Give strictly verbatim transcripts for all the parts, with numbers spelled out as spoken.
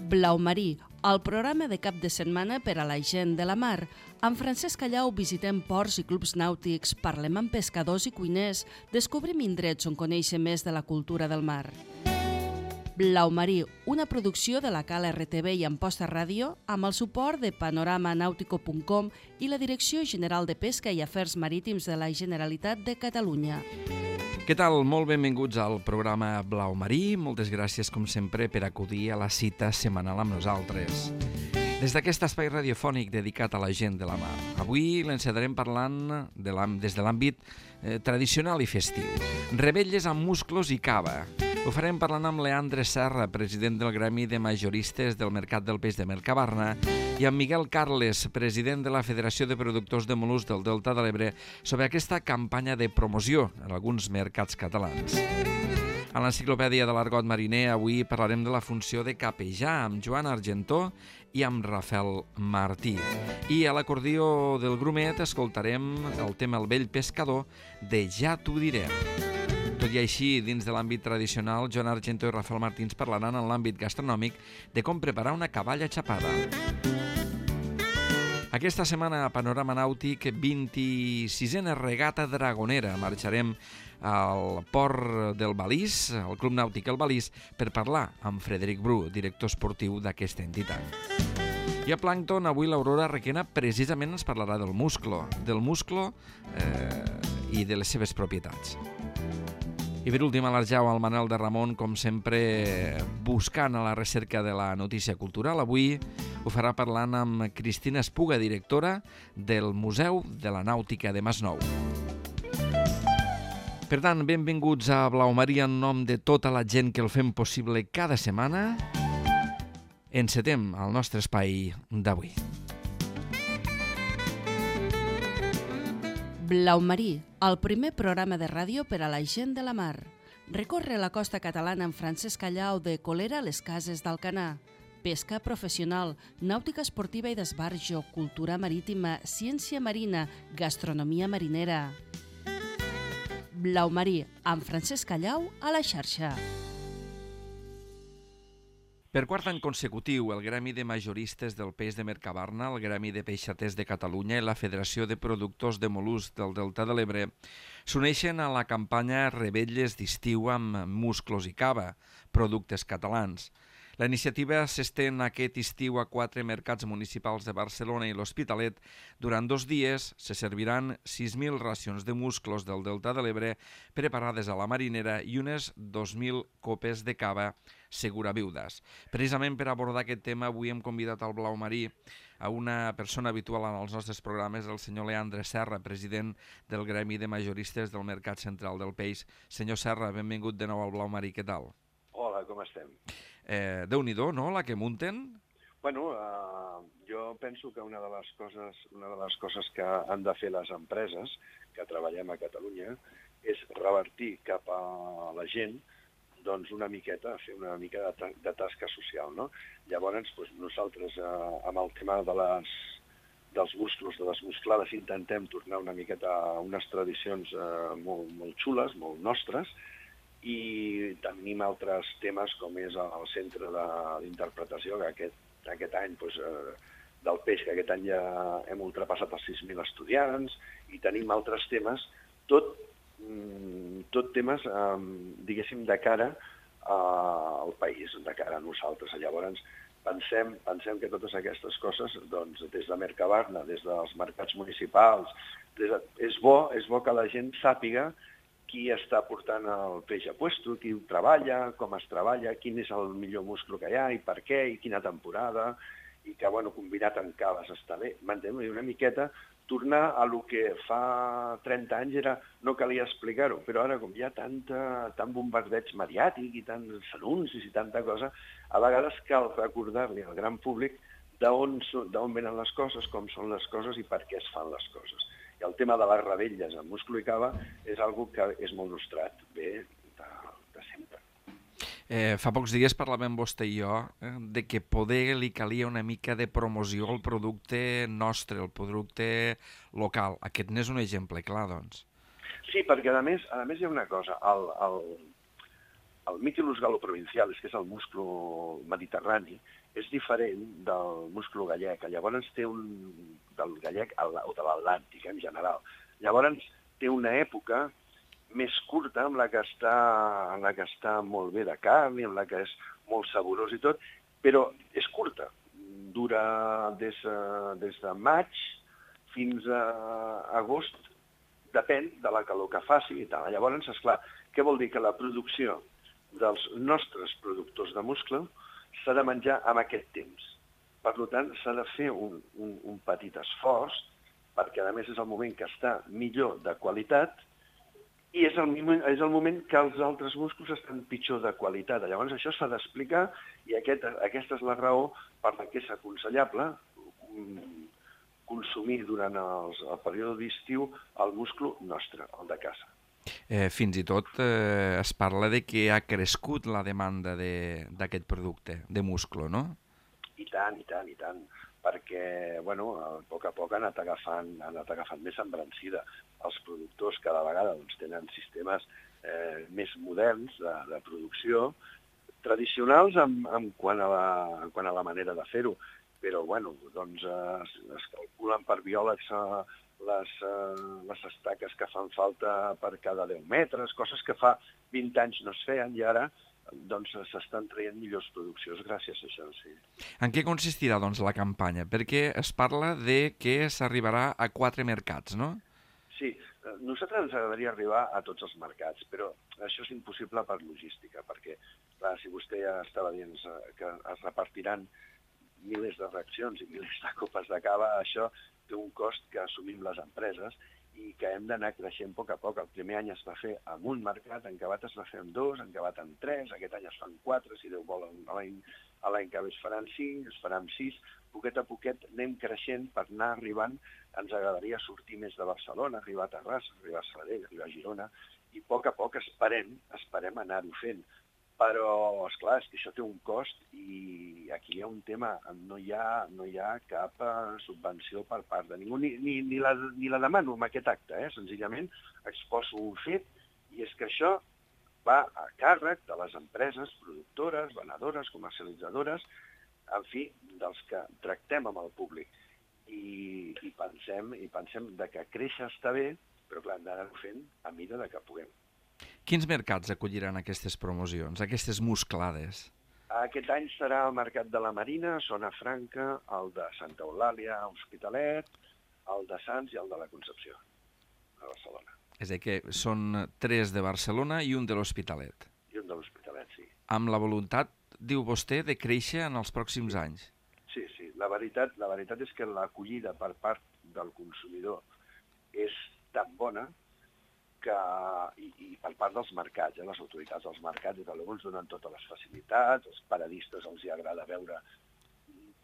Blau Marí, el programa de cap de setmana per a la gent de la mar. Amb Francesc Callau visitem ports i clubs nàutics, parlem amb pescadors i cuiners, descobrim indrets on conèixer més de la cultura del mar. Blau Marí, una producció de la Cala R T V i Amposta Ràdio amb el suport de panorama nàutico punt com i la Direcció General de Pesca i Afers Marítims de la Generalitat de Catalunya. Què tal? Molt benvinguts al programa Blau Marí. Moltes gràcies, com sempre, per acudir a la cita setmanal amb nosaltres. Des d'aquest espai radiofònic dedicat a la gent de la mar. Avui l'encetarem parlant de des de l'àmbit eh, tradicional i festiu. Revetlles amb musclos i cava. Ho farem parlant amb Leandre Serra, president del Gremi de Majoristes del Mercat del Peix de Mercabarna, i amb Miguel Carles, president de la Federació de Productors de Mol·luscs del Delta de l'Ebre, sobre aquesta campanya de promoció en alguns mercats catalans. A l'Enciclopèdia de l'Argot Mariner avui parlarem de la funció de capejar amb Joan Argentó i amb Rafael Martí. I a l'acordió del Grumet escoltarem el tema El vell pescador de Ja t'ho diré. Tot i així, dins de l'àmbit tradicional, Joan Argentó i Rafael Martí ens parlaran en l'àmbit gastronòmic de com preparar una caballa xapada. Aquesta setmana a Panorama Nàutic, vint-i-sisena regata dragonera. Marxarem al port del Balís, al Club Nàutic El Balís, per parlar amb Frederic Bru, director esportiu d'aquesta entitat. I a Plàncton, avui l'Aurora Requena precisament ens parlarà del musclo, del musclo eh, i de les seves propietats. I per últim, a l'Arjau, el Manel de Ramon, com sempre, buscant a la recerca de la notícia cultural. Avui ho farà parlant amb Cristina Espuga, directora del Museu de la Nàutica de Masnou. Per tant, benvinguts a Blau Marí en nom de tota la gent que el fem possible cada setmana. Encetem el nostre espai d'avui. Blau Marí, el primer programa de ràdio per a la gent de la mar. Recorre la costa catalana amb Francesc Callau de Colera a les Cases d'Alcanar. Pesca professional, nàutica esportiva i d'esbarjo, cultura marítima, ciència marina, gastronomia marinera. Blau Marí, amb Francesc Callau a la xarxa. Per quart any consecutiu, el Gremi de Majoristes del Peix de Mercabarna, el Gremi de Peixaters de Catalunya i la Federació de Productors de Mol·luscs del Delta de l'Ebre s'uneixen a la campanya Revetlles d'estiu amb musclos i cava, productes catalans. La iniciativa s'estén aquest estiu a quatre mercats municipals de Barcelona i l'Hospitalet. Durant dos dies se serviran sis mil racions de musclos del Delta de l'Ebre preparades a la marinera i unes dos mil copes de cava seguraviudes. Precisament per abordar aquest tema, avui hem convidat al Blau Marí a una persona habitual en els nostres programes, el senyor Leandre Serra, president del Gremi de Majoristes del Mercat Central del Peix. Senyor Serra, benvingut de nou al Blau Marí, què tal? Hola, com estem? Eh, Déu-n'hi-do, no?, la que munten? Bueno, uh, jo penso que una de les coses, una de les coses que han de fer les empreses que treballem a Catalunya és revertir cap a la gent doncs una miqueta, fer una mica de, ta de tasca social, no? Llavors, doncs, nosaltres uh, amb el tema de les, dels musclos, de les musclades, intentem tornar una miqueta a unes tradicions uh, molt, molt xules, molt nostres, i tenim altres temes com és el centre d'interpretació, que aquest, aquest any, doncs, eh, del peix, que aquest any ja hem ultrapassat els sis mil estudiants, i tenim altres temes, tot, tot temes, eh, diguéssim, de cara al país, de cara a nosaltres. Llavors, pensem, pensem que totes aquestes coses, doncs, des de Mercabarna, des dels mercats municipals, des de, és bo, és bo que la gent sàpiga qui està portant el peix a puesto, qui ho treballa, com es treballa, quin és el millor musclo que hi ha i per què, i quina temporada, i que, bueno, combinat amb caves està bé. M'entenc? Una miqueta tornar a lo que fa trenta anys era, no calia explicar-ho, però ara com hi ha tanta, tant bombardeig mediàtic i tants anuncis i tanta cosa, a vegades cal recordar-li al gran públic d'on venen les coses, com són les coses i per què es fan les coses. I el tema de les revetlles amb musclo i cava és algo que és molt nostrat, bé, de, de sempre. Eh, fa pocs dies parlàvem vostè i jo eh, de que poder li calia una mica de promoció al producte nostre, el producte local. Aquest n'és un exemple clar, doncs. Sí, perquè a més, a més hi ha una cosa. El, el, el mitilus galoprovincialis, que és el musclo mediterrani, és diferent del musclo gallec. Llavors té un... del gallec o de l'Atlàntic, en general. Llavors té una època més curta, amb la que està, en la que està molt bé de carn i en la que és molt saborós i tot, però és curta. Dura des, des de maig fins a agost, depèn de la calor que faci i tal. Llavors, esclar, què vol dir? Que la producció dels nostres productors de muscle s'ha de menjar en aquest temps. Per tant, s'ha de fer un, un, un petit esforç, perquè a més és el moment que està millor de qualitat i és el, és el moment que els altres musclos estan pitjor de qualitat. Llavors això s'ha d'explicar i aquest, aquesta és la raó per la que és aconsellable consumir durant els, el període d'estiu el musclo nostre, el de casa. Eh, fins i tot eh, es parla de que ha crescut la demanda d'aquest de, producte, de musclo, no? I tant, i tant, i tant, perquè, bueno, a poc a poc han anat agafant, han anat agafant més embrancida. Els productors cada vegada doncs, tenen sistemes eh, més moderns de, de producció, tradicionals en, en, quant a la, en quant a la manera de fer-ho, però, bueno, doncs es, es calculen per biòlegs eh, les, eh, les estaques que fan falta per cada deu metres, coses que fa vint anys no es feien i ara doncs s'estan traient millors produccions gràcies a això, sí. En què consistirà, doncs, la campanya? Perquè es parla de que s'arribarà a quatre mercats, no? Sí, a nosaltres ens agradaria arribar a tots els mercats, però això és impossible per logística, perquè, clar, si vostè ja estava dient que es repartiran milers de reaccions i milers de copes de cava, això té un cost que assumim les empreses i que hem d'anar creixent a poc a poc. El primer any es va fer en un mercat, en Cabat es va fer en dos, en Cabat en tres, aquest any es fan quatre, si Déu vol l'any que ve es faran cinc, es faran sis. Poquet a poquet anem creixent per anar arribant. Ens agradaria sortir més de Barcelona, arribar a Terrassa, arribar a Sabadell, arribar a Girona, i a poc a poc esperem, esperem anar-ho fent. Però, esclar, és que això té un cost i aquí hi ha un tema, no hi ha, no hi ha cap subvenció per part de ningú, ni, ni, ni, la, ni la demano amb aquest acte, eh? Senzillament exposo un fet i és que això va a càrrec de les empreses productores, venedores, comercialitzadores, en fi, dels que tractem amb el públic. I, i, pensem, i pensem de que créixer està bé, però clar, hem d'anar-ho fent a mida de que puguem. Quins mercats acolliran aquestes promocions, aquestes musclades? Aquest any serà el Mercat de la Marina, Zona Franca, el de Santa Eulàlia, Hospitalet, el de Sants i el de la Concepció, a Barcelona. És a dir, que són tres de Barcelona i un de l'Hospitalet. I un de l'Hospitalet, sí. Amb la voluntat, diu vostè, de créixer en els pròxims anys. Sí, sí. La veritat, la veritat és que l'acollida per part del consumidor és tan bona que, i, i per part dels mercats, eh, les autoritats dels mercats, i que ens donen totes les facilitats, els paradistes els hi agrada veure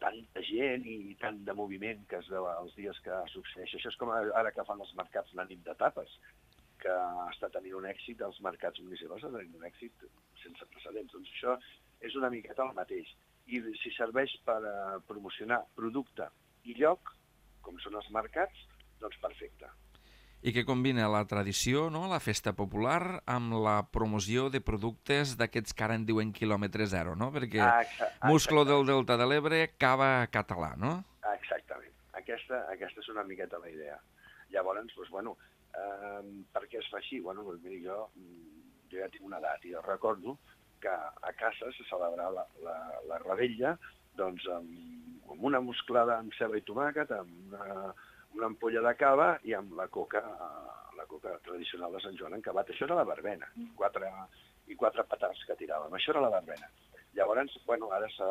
tanta gent i tant de moviment que es veu els dies que succeeix. Això és com ara que fan els mercats la nit de tapes, que està tenint un èxit, els mercats municipals estan tenint un èxit sense precedents. Doncs això és una miqueta el mateix. I si serveix per uh, promocionar producte i lloc, com són els mercats, doncs perfecte. I que combina la tradició, no?, la festa popular, amb la promoció de productes d'aquests que ara en diuen quilòmetre zero, no? Perquè ah, musclo del Delta de l'Ebre, cava català, no? Exactament. Aquesta, aquesta és una miqueta la idea. Llavors, doncs, bueno, eh, per què es fa així? Bueno, doncs, miri, jo, jo ja tinc una edat i recordo que a casa se celebrava la, la, la rebella doncs, amb, amb una musclada amb ceba i tomàquet, amb una... una ampolla de cava i amb la coca, la coca tradicional de Sant Joan encavat. Això era la verbena, quatre, i quatre petards que tiràvem. Això era la verbena. Llavors, bueno, ara s'ha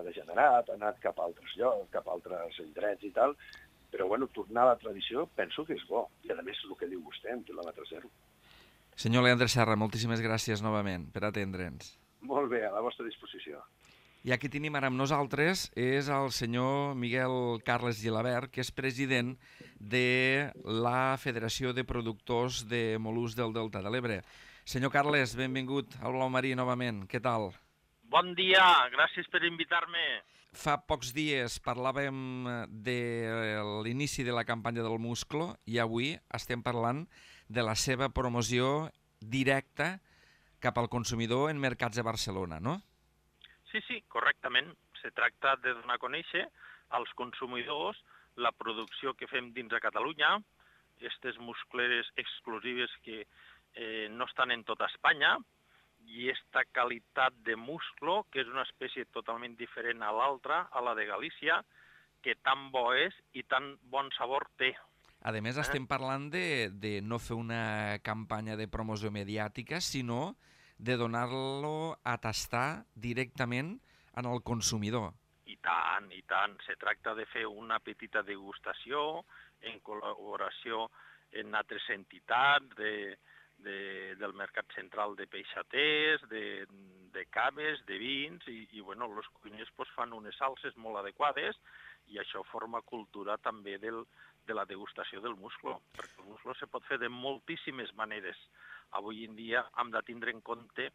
degenerat, ha anat cap a altres llocs, cap a altres indrets i tal, però, bueno, tornar a la tradició penso que és bo. I, a més, el que diu vostè, en quilòmetre zero. Senyor Leandre Serra, moltíssimes gràcies novament per atendre'ns. Molt bé, a la vostra disposició. I aquí tenim ara amb nosaltres és el senyor Miguel Carles Gilabert, que és president de la Federació de Productors de Mol·luscs del Delta de l'Ebre. Senyor Carles, benvingut al Blau Marí novament. Què tal? Bon dia, gràcies per invitar-me. Fa pocs dies parlàvem de l'inici de la campanya del musclo i avui estem parlant de la seva promoció directa cap al consumidor en mercats de Barcelona, no? Sí, sí, correctament. Se tracta de donar a conèixer als consumidors la producció que fem dins de Catalunya, aquestes muscleres exclusives que eh, no estan en tota Espanya, i aquesta qualitat de musclo, que és una espècie totalment diferent a l'altra, a la de Galícia, que tan bo és i tan bon sabor té. A més, estem parlant de, de no fer una campanya de promoció mediàtica, sinó de donar-lo a tastar directament en el consumidor. I tant, i tant. Se tracta de fer una petita degustació en col·laboració amb altres entitats de, de, del Mercat Central de Peixaters, de, de caves, de vins, i, i bueno, els cuiners pues, fan unes salses molt adequades i això forma cultura també del, de la degustació del musclo, perquè el musclo se pot fer de moltíssimes maneres. Avui en dia hem de tindre en compte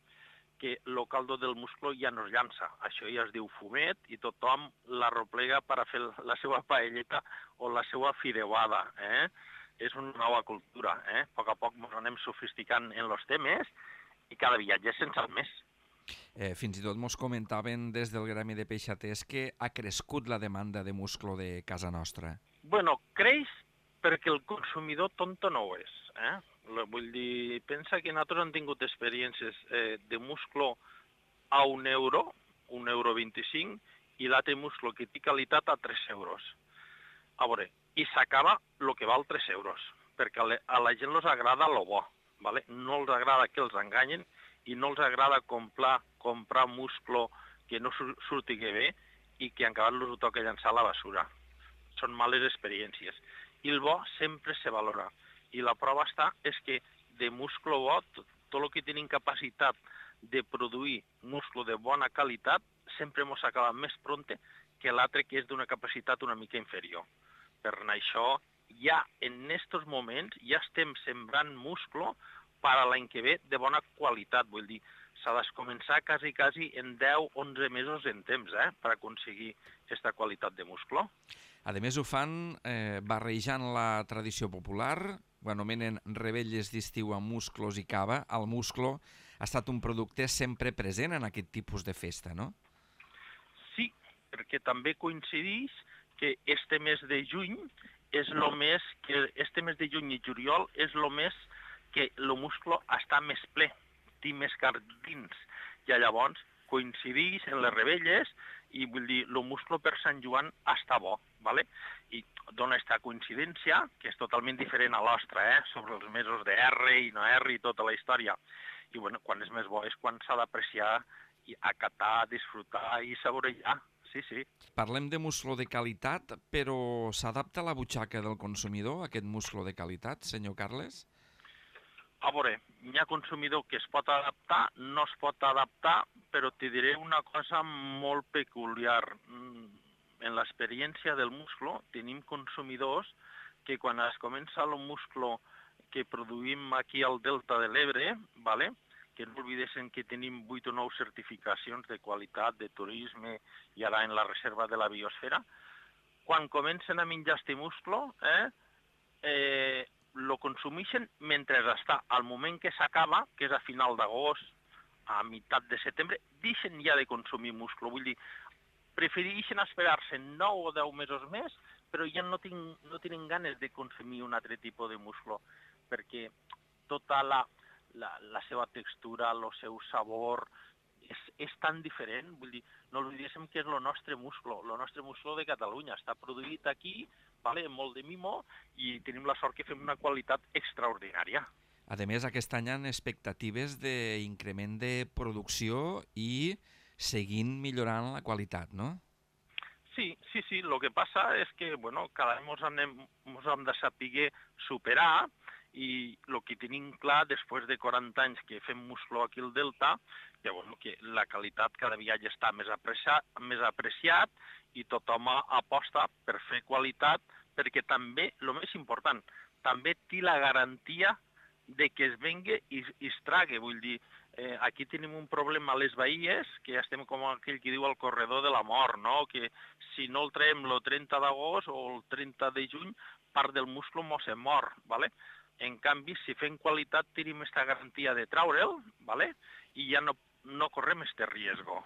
que el caldo del musclo ja no es llança. Això ja es diu fumet i tothom l'arroplega per a fer la seva paelleta o la seva fideuada. Eh? És una nova cultura. Eh? A poc a poc ens anem sofisticant en els temes i cada viatge se'n sap més. Eh, fins i tot mos comentaven des del gremi de peixaters que ha crescut la demanda de musclo de casa nostra. Bueno, creix perquè el consumidor tonto no ho és. Eh? Vull dir, pensa que nosaltres hem tingut experiències eh, de musclo a un euro, un euro vint-i-cinc, i l'altre musclo que té qualitat a tres euros. A veure, i s'acaba el que val tres euros, perquè a, le, a la gent els agrada lo bo, ¿vale? No els agrada que els enganyen i no els agrada comprar, comprar musclo que no surti bé i que en acabat els ho toca llançar a la basura. Són males experiències. I el bo sempre se valora. I la prova està és que de musclo bo, tot, tot el que tenim capacitat de produir musclo de bona qualitat, sempre ens acaba més prompte que l'altre que és d'una capacitat una mica inferior. Per això, ja en aquests moments, ja estem sembrant musclo per a l'any que ve de bona qualitat. Vull dir, s'ha de començar quasi, quasi en deu a onze mesos en temps, eh, per aconseguir aquesta qualitat de musclo. A més, ho fan eh, barrejant la tradició popular, ho anomenen rebelles d'estiu amb musclos i cava. El musclo ha estat un producte sempre present en aquest tipus de festa, no? Sí, perquè també coincideix que este mes de juny és el mes que este mes de juny i juliol és el mes que el musclo està més ple, té més carn dins, i llavors coincideix en les rebelles i vull dir, el musclo per Sant Joan està bo, ¿vale? I dona aquesta coincidència, que és totalment diferent a l'ostra, eh? Sobre els mesos de R i no R i tota la història. I bueno, quan és més bo és quan s'ha d'apreciar, i acatar, disfrutar i saborejar. Sí, sí. Parlem de musclo de qualitat, però s'adapta a la butxaca del consumidor, aquest musclo de qualitat, senyor Carles? A veure, hi ha consumidor que es pot adaptar, no es pot adaptar, però te diré una cosa molt peculiar. En l'experiència del musclo tenim consumidors que quan es comença el musclo que produïm aquí al Delta de l'Ebre, ¿vale? Que no oblidessin que tenim vuit o nou certificacions de qualitat, de turisme i ara en la reserva de la biosfera, quan comencen a menjar este musclo, eh, eh, lo consumeixen mentre està. Al moment que s'acaba, que és a final d'agost, a meitat de setembre, deixen ja de consumir musclo. Vull dir, prefereixen esperar-se nou o deu mesos més, però ja no, tinc, no tenen ganes de consumir un altre tipus de musclo, perquè tota la, la, la seva textura, el seu sabor, és, és tan diferent. Vull dir, no oblidéssim que és el nostre musclo, el nostre musclo de Catalunya. Està produït aquí, vale, molt de mimo, i tenim la sort que fem una qualitat extraordinària. A més, aquest any hi ha expectatives d'increment de producció i seguint millorant la qualitat, no? Sí, sí, sí. El que passa és que, bueno, cada any ens hem de saber superar i el que tenim clar, després de quaranta anys que fem musclo aquí al Delta, que, bueno, que la qualitat cada dia ja està més apreciat, més apreciat i tothom aposta per fer qualitat, perquè també, el més important, també té la garantia de que es vengui i, i es trague. Vull dir, eh, aquí tenim un problema a les Bahies, que estem com aquell que diu al corredor de la mort, no? Que si no el traiem el trenta d'agost o el trenta de juny, part del musclo mos se mor, ¿vale? En canvi, si fem qualitat, tenim aquesta garantia de traure'l, ¿vale? I ja no, no correm este riesgo.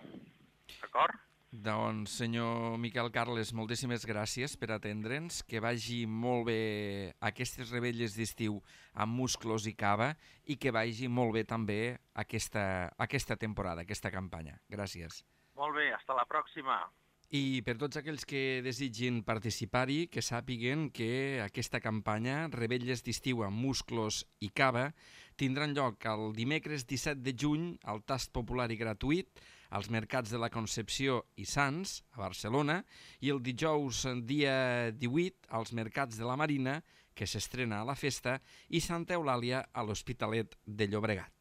D'acord? Doncs, senyor Miquel Carles, moltíssimes gràcies per atendre'ns, que vagi molt bé aquestes rebelles d'estiu amb musclos i cava i que vagi molt bé també aquesta, aquesta temporada, aquesta campanya. Gràcies. Molt bé, hasta la pròxima. I per tots aquells que desitgin participar-hi, que sàpiguen que aquesta campanya, Rebelles d'estiu amb musclos i cava, tindran lloc el dimecres disset de juny al tast popular i gratuït als mercats de la Concepció i Sants, a Barcelona, i el dijous dia divuit als mercats de la Marina, que s'estrena a la festa, i Santa Eulàlia a l'Hospitalet de Llobregat.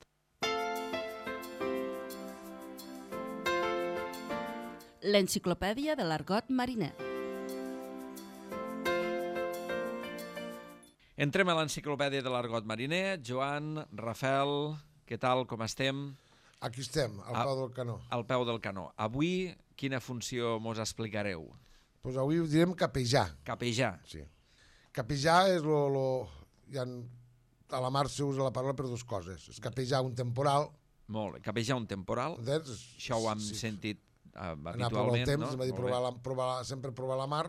L'enciclopèdia de l'argot mariner. Entrem a l'enciclopèdia de l'argot mariner. Joan, Rafael, què tal, com estem? Aquí estem, al peu del canó. Al peu del canó. Avui, quina funció mos explicareu? Doncs pues avui ho direm capejar. Capejar. Sí. Capejar és lo... lo ja en, a la mar s'usa la paraula per dues coses. És capejar un temporal. Molt bé. Capejar un temporal. Entens? Això ho hem sí. sentit uh, habitualment, habitualment, anar provar el temps, no? És a dir, provar la, provar, sempre provar la mar,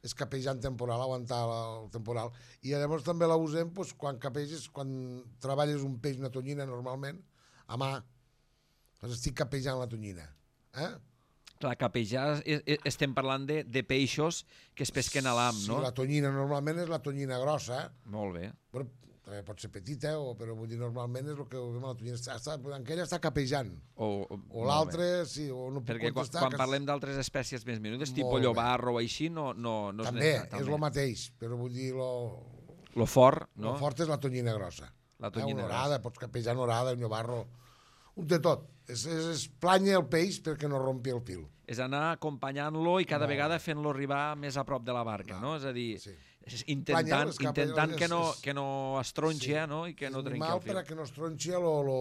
és capejar en temporal, aguantar la, el temporal. I llavors també la usem pues, quan capeges, quan treballes un peix, una tonyina, normalment, a mà, doncs estic capejant la tonyina. Eh? Clar, capejar, estem parlant de, de peixos que es pesquen a l'am, no? Sí, la tonyina normalment és la tonyina grossa. Molt bé. Però també pot ser petita, o, però vull dir, normalment és el que veiem a la tonyina. Està, està, aquella està capejant. O, o l'altre, sí, o no puc perquè contestar. Perquè quan, quan parlem d'altres espècies més menudes, Molt tipus llobarro o així, no, no, no també, és és el mateix, però vull dir, lo, lo fort, no? Lo fort és la tonyina grossa. La tonyina eh, una orada, grossa. pots capejar una orada, un llobarro, un de tot. És, és, és planya el peix perquè no rompi el fil. És anar acompanyant-lo i cada no. vegada fent-lo arribar més a prop de la barca, no? no? És a dir, sí. intentant, Planya, intentant és, que, no, és, que no estronxi, sí. no? I que és no trenqui el fil. perquè no estronxi lo, lo,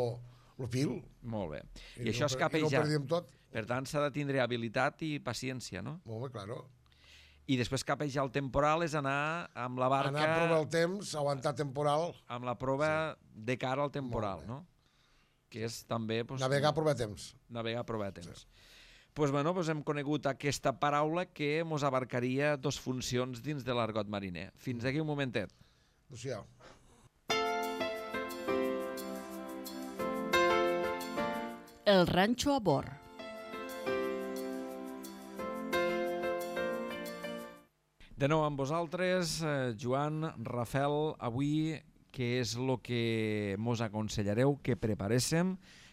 lo fil. Molt bé. I, I això no, és capejar. I no perdíem tot. Per tant, s'ha de tindre habilitat i paciència, no? Molt bé, claro. I després capejar el temporal és anar amb la barca... Anar a provar el temps, aguantar temporal... Amb la prova sí. de cara al temporal, no? Que és també... Pues, navegar a provar temps. Navegar a provar temps. Sí. Pues, bueno, pues hem conegut aquesta paraula que mos abarcaria dos funcions dins de l'argot mariner. Fins aquí un momentet. Adéu-siau. El ranxo a bord. De nou amb vosaltres, eh, Joan, Rafael, avui què és el que mos aconsellareu que preparéssim,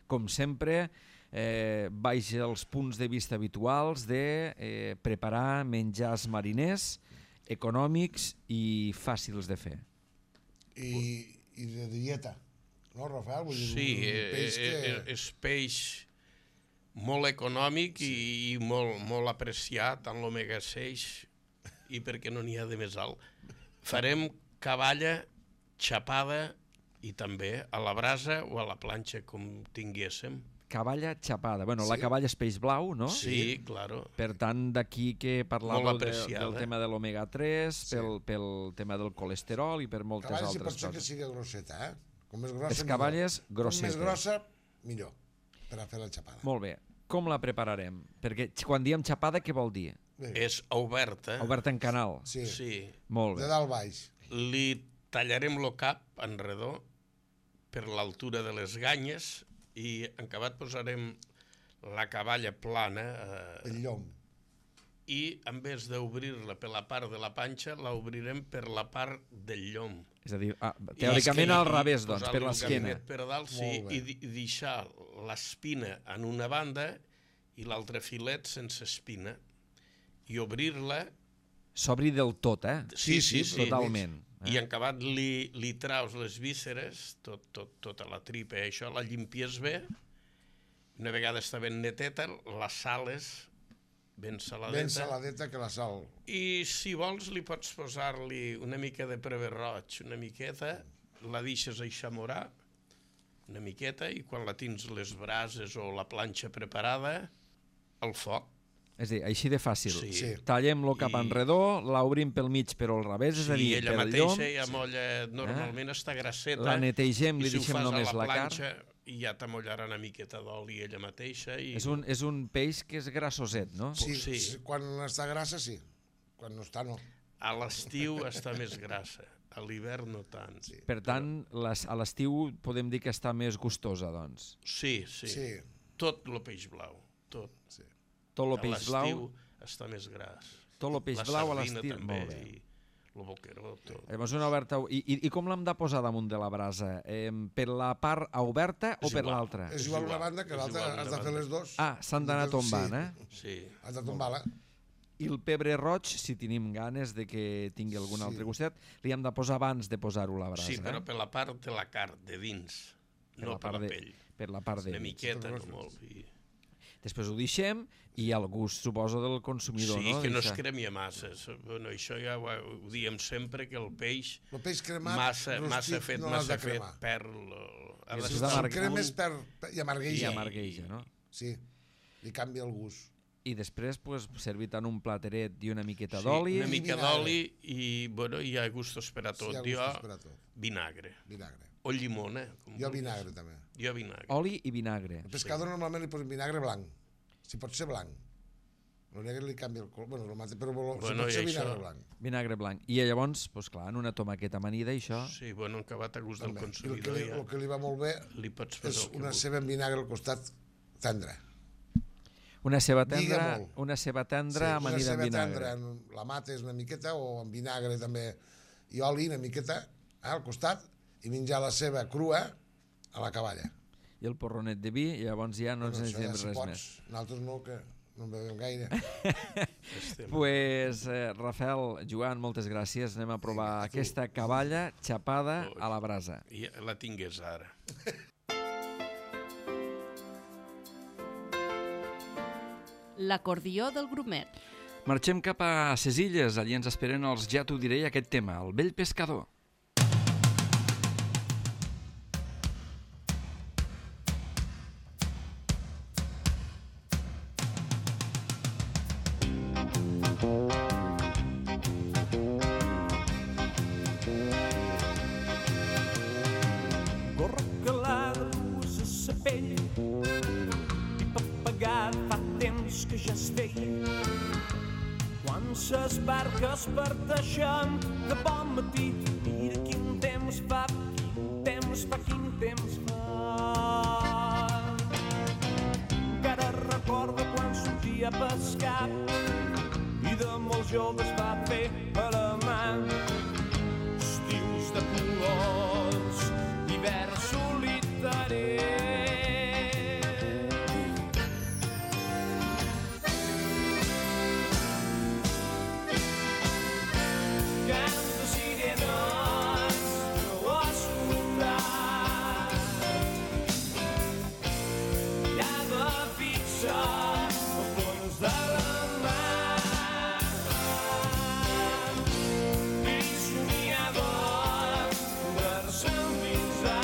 com sempre, eh, baix els punts de vista habituals de eh, preparar menjars mariners, econòmics i fàcils de fer. I, i de dieta, no, Rafael? Vull dir, sí, un peix que... és, és peix molt econòmic sí. i, i molt, molt apreciat en l'omega sis i perquè no n'hi ha de més alt. Farem cavalla xapada i també a la brasa o a la planxa, com tinguéssim. Cavalla xapada. Bueno, sí. La cavalla és peix blau, no? Sí, claro. Per tant, d'aquí que parlàveu de, del tema de l'omega tres, sí. pel, pel tema del colesterol i per moltes cavalla, altres coses. Cavalla sí pot ser que sigui grosseta, eh? Com més grossa, les cavalles millor. grossetes. Com més grossa, millor, per a fer la xapada. Molt bé. Com la prepararem? Perquè quan diem xapada, què vol dir? Bé. És oberta. Oberta en canal? Sí. sí. Molt bé. De dalt baix. Li tallarem el cap en redó per l'altura de les ganyes i en acabat posarem la cavalla plana. Eh, el llom. I en vez d'obrir-la per la part de la panxa, l'obrirem per la part del llom. És a dir, ah, teòricament al revés, doncs, per l'esquena. Per dalt, sí, i, i deixar l'espina en una banda i l'altre filet sense espina. I obrir-la... S'obri del tot, eh? Sí, sí, sí. Totalment. Eh? I en acabat li, li traus les vísceres, tot, tot, tota la tripa i això, la llimpies bé. Una vegada està ben neteta, la sales ben saladeta. Ben saladeta que la sal. I si vols li pots posar-li una mica de preve roig, una miqueta, la deixes eixamorar una miqueta i quan la tens les brases o la planxa preparada, al foc, És a dir, així de fàcil. Sí. Sí. Tallem-lo cap I- enredó, l'obrim pel mig però al revés, és a dir, Sí, ella pel llom, mateixa ja molla, normalment està grasseta. la netegem, li i si ho deixem fas a només la la carn. planxa, i ja t'amollarà una miqueta d'oli ella mateixa. I... És un, és un peix que és grassoset, no? Sí, Sí. sí, quan està grassa, sí. Quan no està, no. A l'estiu està més grassa, a l'hivern no tant. Sí. Per tant, les, a l'estiu podem dir que està més gustosa, doncs. Sí, sí. Sí. Tot el peix blau, tot. Sí. Tot el A peix blau, l'estiu està més gras. tot el peix la blau a sardina l'estiu. també, Molt bé. i el boqueró, tot. Llavors una oberta... I, i, i com l'hem de posar damunt de la brasa? Eh, per la part oberta o És per igual. l'altra? És És igual una igual, banda que és l'altra, igual has una de fer banda. les dues. Ah, s'han d'anar tombant, eh? Sí. Has de tombar-la. I el pebre roig, si tenim ganes de que tingui algun Sí. altre gustet, li hem de posar abans de posar-ho a la brasa. Sí, però eh? per la part de la carn, de dins, Per no la per part la de- pell. Per la part de... Una miqueta, no Sí. molt. I... Després ho deixem i al gust, suposo, del consumidor, Sí, no? que no es Deixa- cremi massa. Bueno, això ja ho, ho diem sempre, que el peix El peix cremat, massa, rostit, massa fet, no l'has massa de fet, cremar. perd... el- A I les després Si d'amarg- el cremes per, per, i I amargueja. amargueja, no? Sí, li canvia el gust. I després, pues, servit en un plateret i una miqueta Sí, d'oli. una mica vinagre. d'oli i, bueno, hi ha gustos per a tot. Sí, hi ha jo, gustos per a tot. vinagre. Vinagre. O llimona. Com Jo vulguis. vinagre, també. Jo vinagre. Oli i vinagre. El pescador normalment li posen vinagre blanc. Si pot ser blanc. El negre li canvia el color. Bueno, el mateix, però bueno, si Bueno, pot i ser això- vinagre blanc. Vinagre blanc. I llavors, pues, clar, en una tomaqueta amanida, això... Sí, bueno, acabat a gust del També. I el que, consumidor, li, ja el que li va molt bé li pots és fer el que una vulguis. ceba amb vinagre al costat tendre. Una ceba Lliga tendra, molt. una ceba tendra una amanida amb ceba vinagre. tendra, en la mates una miqueta o amb vinagre també i oli una miqueta eh, al costat i menjar la ceba crua a la cavalla. I el porronet de vi, i llavors ja no ens Bueno, això necessitem ja si res pots. més. Nosaltres no, que no en bevem gaire. Estem. Pues, eh, Rafael, Joan, moltes gràcies. Anem a provar Vinga, tu. aquesta cavalla xapada a la brasa. I la tingués ara. L'acordió del grumet. Marxem cap a ses illes, allí ens esperen els Ja t'ho diré aquest tema, el vell pescador. Gorra calada, a sa pell i papagat fa temps que ja es feia. Quan ses barques parteixen de bon matí, mira quin temps fa, quin temps fa, quin temps fa. Encara recorda quan sortia a pescar i de molt joves va fer a la mà estius de colors, hivern solitari. Cant de sirenes no ho has escoltat. Llava fixa al fons de la mar. I somiava poder-se endinsar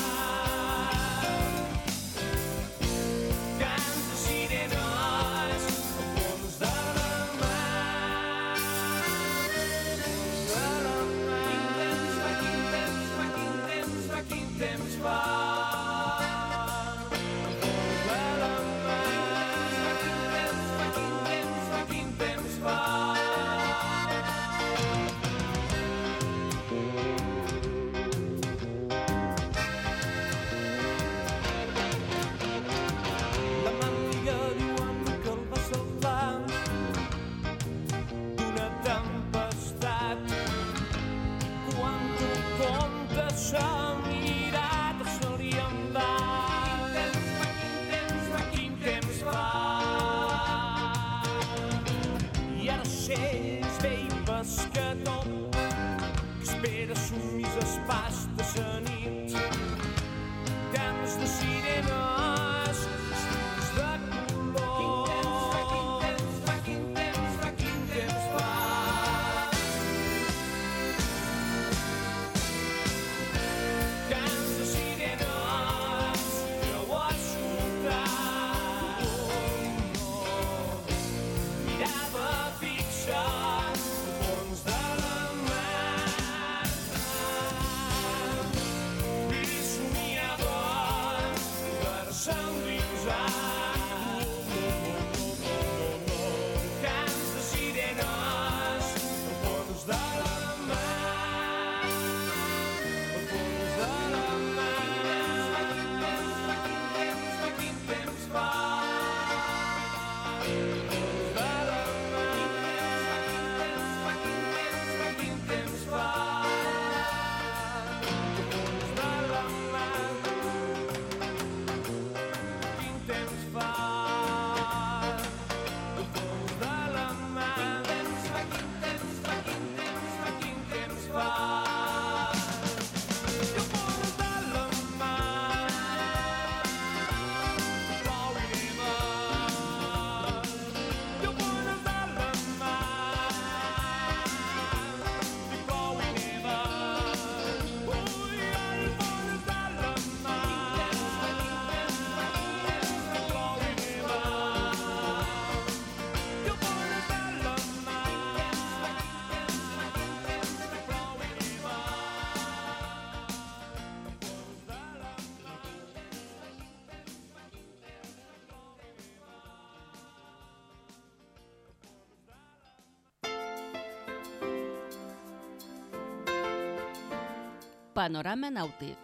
Panorama Nàutic.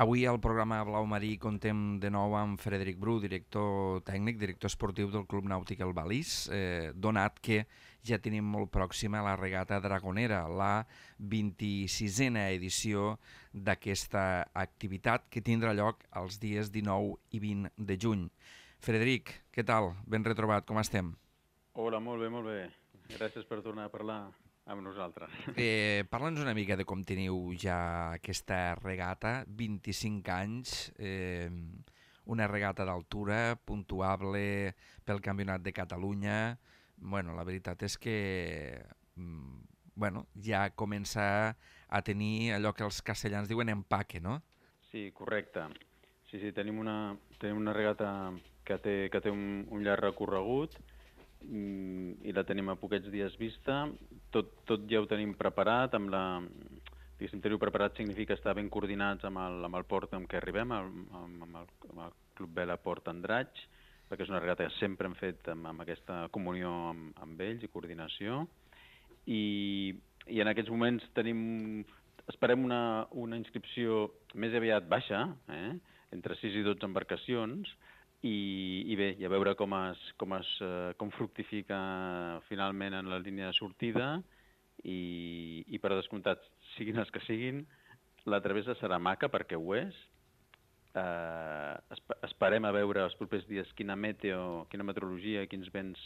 Avui al programa Blau Marí contem de nou amb Frederic Bru, director tècnic, director esportiu del Club Nàutic El Balís, eh, donat que ja tenim molt pròxima la regata dragonera, la vint-i-sisena edició d'aquesta activitat que tindrà lloc els dies dinou i vint de juny. Frederic, què tal? Ben retrobat, com estem? Hola, molt bé, molt bé. Gràcies per tornar a parlar amb nosaltres. Eh, Parla'ns una mica de com teniu ja aquesta regata, vint-i-cinc anys, eh, una regata d'altura, puntuable pel Campionat de Catalunya. Bueno, la veritat és que bueno, ja comença a tenir allò que els castellans diuen empaque, no? Sí, correcte. Sí, sí, tenim una, tenim una regata que té, que té un, un llarg recorregut i la tenim a poquets dies vista. Tot, tot ja ho tenim preparat, amb la... Diguéssim, tenir-ho preparat significa estar ben coordinats amb el, amb el port amb què arribem, amb, amb, el, amb el Club Vela Port Andratx, perquè és una regata que sempre hem fet amb, amb aquesta comunió amb, amb ells i coordinació. I, i en aquests moments tenim... Esperem una, una inscripció més aviat baixa, eh? entre sis i dotze embarcacions, I, i bé, i a veure com, es, com, es, com fructifica finalment en la línia de sortida i, i per descomptat, siguin els que siguin, la travessa serà maca perquè ho és. Eh, esperem a veure els propers dies quina meteo, quina meteorologia, quins vents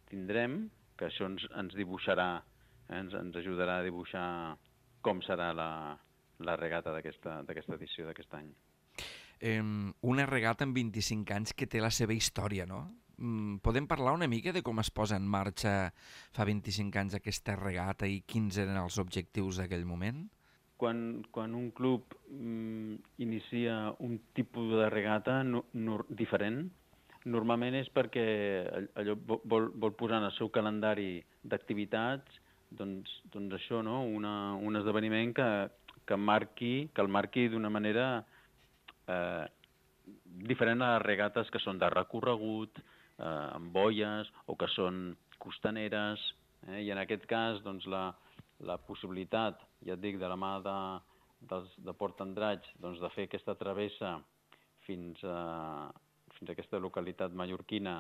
tindrem, que això ens, ens dibuixarà, eh, ens, ens ajudarà a dibuixar com serà la, la regata d'aquesta d'aquesta edició d'aquest any. Eh, una regata amb vint-i-cinc anys que té la seva història, no? Mm, podem parlar una mica de com es posa en marxa fa vint-i-cinc anys aquesta regata i quins eren els objectius d'aquell moment? Quan, quan un club mm, inicia un tipus de regata no, no, diferent, normalment és perquè allò vol, vol posar en el seu calendari d'activitats doncs, doncs això, no? Una, un esdeveniment que, que, marqui, que el marqui d'una manera Eh, diferent a les regates que són de recorregut, eh, amb boies o que són costaneres, eh, i en aquest cas doncs, la, la possibilitat, ja et dic, de la mà de, de, de Port Andratx doncs, de fer aquesta travessa fins a, fins a aquesta localitat mallorquina,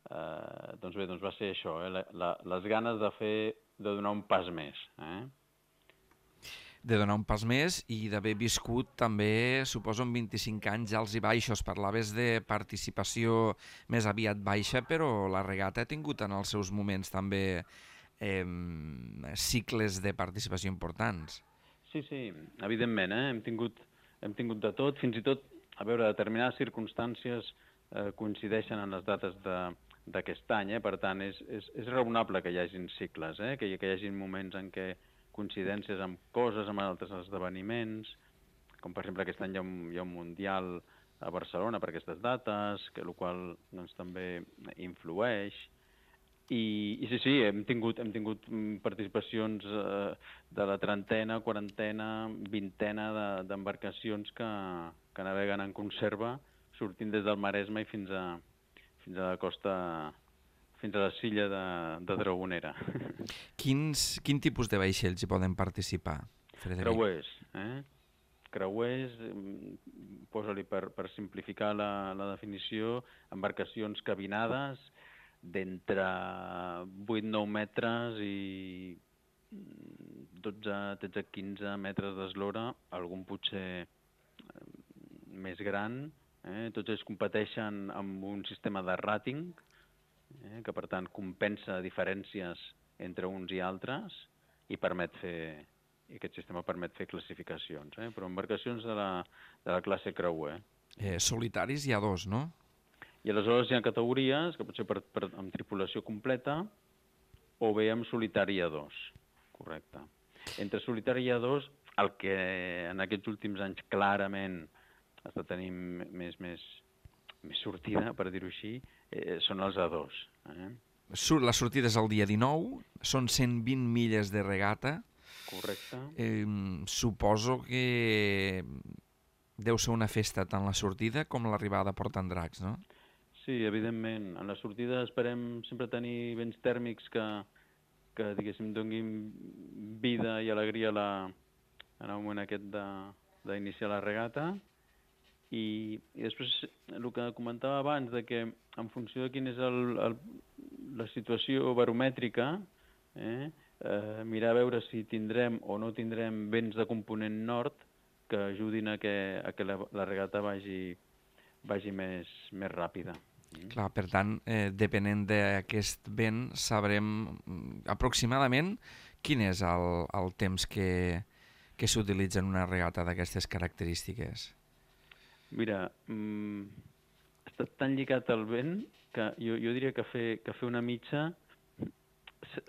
eh, doncs bé, doncs va ser això, eh, la, la, les ganes de fer, de donar un pas més, eh? de donar un pas més i d'haver viscut també, suposo, en vint-i-cinc anys alts i baixos. Parlaves de participació més aviat baixa, però la regata ha tingut en els seus moments també eh, cicles de participació importants. Sí, sí, evidentment, eh? hem, tingut, hem tingut de tot, fins i tot, a veure, determinades circumstàncies eh, coincideixen en les dates d'aquest any, eh? Per tant, és, és, és raonable que hi hagin cicles, eh? que, que hi hagin moments en què coincidències amb coses, amb altres esdeveniments, com per exemple aquest any hi ha un, hi ha un Mundial a Barcelona per aquestes dates, que el qual doncs, també influeix. I, i sí, sí, hem tingut, hem tingut participacions eh, de la trentena, quarantena, vintena d'embarcacions de, que, que naveguen en conserva, sortint des del Maresme i fins a, fins a la costa... fins a la silla de, de Dragonera. Quins, quin tipus de vaixells hi poden participar, Frederic? Creuers, eh? Creuers, posa-li per, per simplificar la, la definició, embarcacions cabinades d'entre vuit a nou metres i dotze, tretze, quinze metres d'eslora, algun potser més gran. Eh? Tots ells competeixen amb un sistema de rating, Eh, que per tant compensa diferències entre uns i altres i permet fer, i aquest sistema permet fer classificacions, eh, però embarcacions de la, de la classe creuer. Eh, solitaris hi ha dos, no? I aleshores hi ha categories que pot ser per, per, amb tripulació completa o bé amb solitari a dos, correcte. Entre solitari a dos, el que en aquests últims anys clarament està tenint més, més, més sortida, per dir-ho així, eh, són els A dos. Eh? La sortida és el dia dinou, són cent vint milles de regata. Correcte. Eh, suposo que deu ser una festa tant la sortida com l'arribada a Port Andratx, no? Sí, evidentment. En la sortida esperem sempre tenir vents tèrmics que, que diguéssim, donin vida i alegria a la, en el moment aquest d'iniciar la regata. I, i després el que comentava abans, de que en funció de quina és el, el, la situació baromètrica, eh, eh, mirar a veure si tindrem o no tindrem vents de component nord que ajudin a que, a que la, la regata vagi, vagi més, més ràpida. Clar, per tant, eh, depenent d'aquest vent, sabrem aproximadament quin és el, el temps que, que s'utilitza en una regata d'aquestes característiques. Mira, mm, està tan lligat al vent que jo, jo diria que fer, que fer una mitja